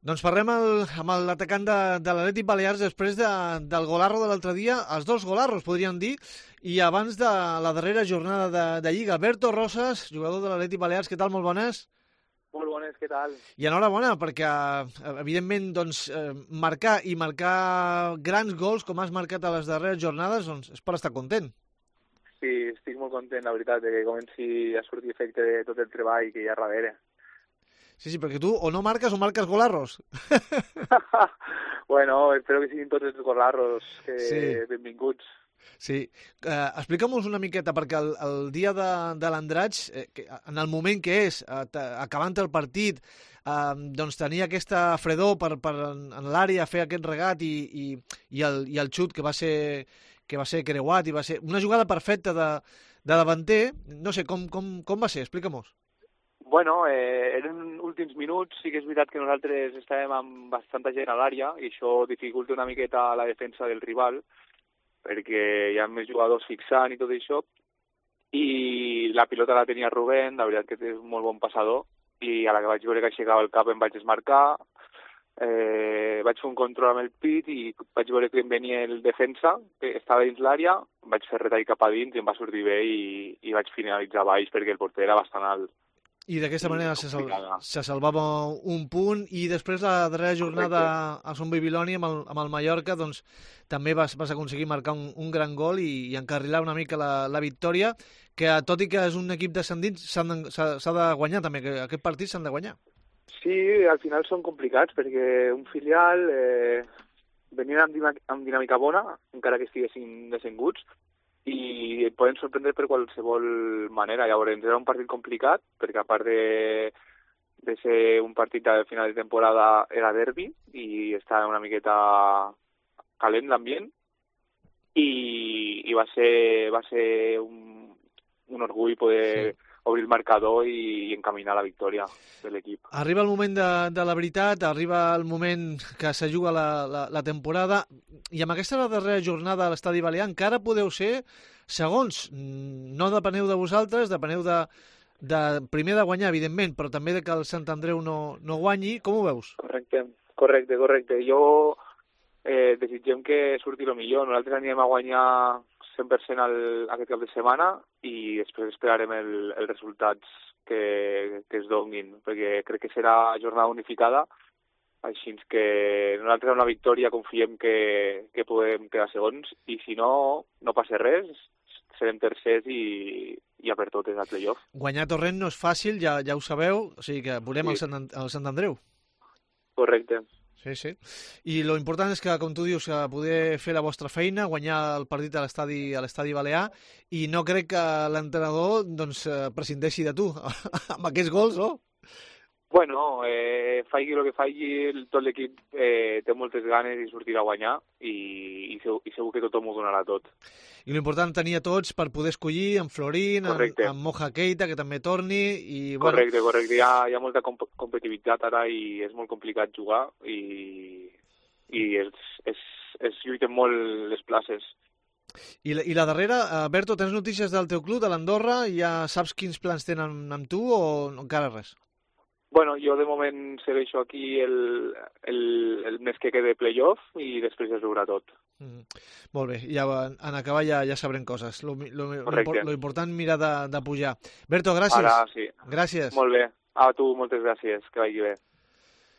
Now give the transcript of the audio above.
Doncs parlem amb l'atacant de l'Atlètic Balears després del golarro de l'altre dia, els dos golarros, podríem dir, i abans de la darrera jornada de Lliga. Berto Rosas, jugador de l'Atlètic Balears, què tal? Molt bones. Molt bones, què tal? I enhorabona, perquè, evidentment, doncs, marcar grans gols, com has marcat a les darreres jornades, doncs és per estar content. Sí, estic molt content, la veritat, que comenci a sortir efecte de tot el treball que hi ha darrere. Sí, perquè tu o no marques o marques golarros. Bueno, espero que siguin tots els golarros benvinguts. Sí, explica'm-nos una miqueta, perquè el dia de l'Andratx, en el moment que és, acabant el partit, doncs tenia aquesta fredor en l'àrea, fer aquest regat i el xut que va ser creuat, i va ser una jugada perfecta de davanter. No sé, com va ser? Explica-mos. Bueno, eren últims minuts, sí que és veritat que nosaltres estàvem amb bastanta gent a l'àrea i això dificulta una miqueta la defensa del rival, perquè hi ha més jugadors fixant i tot això, i la pilota la tenia Rubén, la veritat que és un molt bon passador, i a la que vaig veure que aixecava el cap em vaig desmarcar, vaig fer un control amb el pit i vaig veure que em venia el defensa, que estava dins l'àrea, vaig fer retall cap a dins i em va sortir bé i vaig finalitzar baix perquè el porter era bastant alt. I d'aquesta manera se salvava un punt, i després la darrera jornada a Son Bibiloni amb el Mallorca, doncs també vas aconseguir marcar un gran gol i encarrilar una mica la victòria, que tot i que és un equip descendint s'ha de guanyar també, que aquest partit s'han de guanyar. Sí, al final són complicats, perquè un filial venien amb dinàmica bona, encara que estiguessin descenguts, i et poden sorprendre per qualsevol manera. Llavors era un partit complicat, perquè a part de ser un partit de final de temporada era derbi i estava una miqueta calent l'ambient, i va ser un orgull poder obrir el marcador i encaminar la victòria de l'equip. Arriba el moment de la veritat, arriba el moment que se juga la temporada, i amb aquesta darrera jornada a l'Estadi Balear encara podeu ser segons. No depeneu de vosaltres, depeneu primer de guanyar, evidentment, però també de que el Sant Andreu no guanyi. Com ho veus? Correcte. Jo desitgem que surti el millor. Nosaltres anirem a guanyar 100% aquest cap de setmana i després esperarem els resultats que es donin, perquè crec que serà jornada unificada, així que nosaltres amb la victòria confiem que podem quedar segons, i si no passa res, serem tercers i a per totes al playoff. Guanyar Torrent no és fàcil, ja ho sabeu, o sigui que volem el Sant Andreu. Correcte. Sí. I lo important és que, com tu dius, poder fer la vostra feina, guanyar el partit a l'Estadi Balear, i no crec que l'entrenador prescindeixi de tu amb aquests gols, no? Bueno, faci el que faci, tot l'equip té moltes ganes de sortir a guanyar i segur que tothom ho donarà tot. I l'important tenir a tots per poder escollir en Florín, en Moja Keita, que també torni. Correcte. Hi ha molta competitivitat ara i és molt complicat jugar i es lluiten molt les places. I la darrera, Berto, tens notícies del teu club, de l'Andorra? Ja saps quins plans tenen amb tu o encara res? Bueno, jo de moment segueixo aquí el mes que quede playoff i després es veurà tot. Molt bé, ja en acabar ja sabrem coses. Lo important mirar de pujar. Berto, gràcies. Ara sí. Gràcies. Molt bé. A tu moltes gràcies, que vagi bé.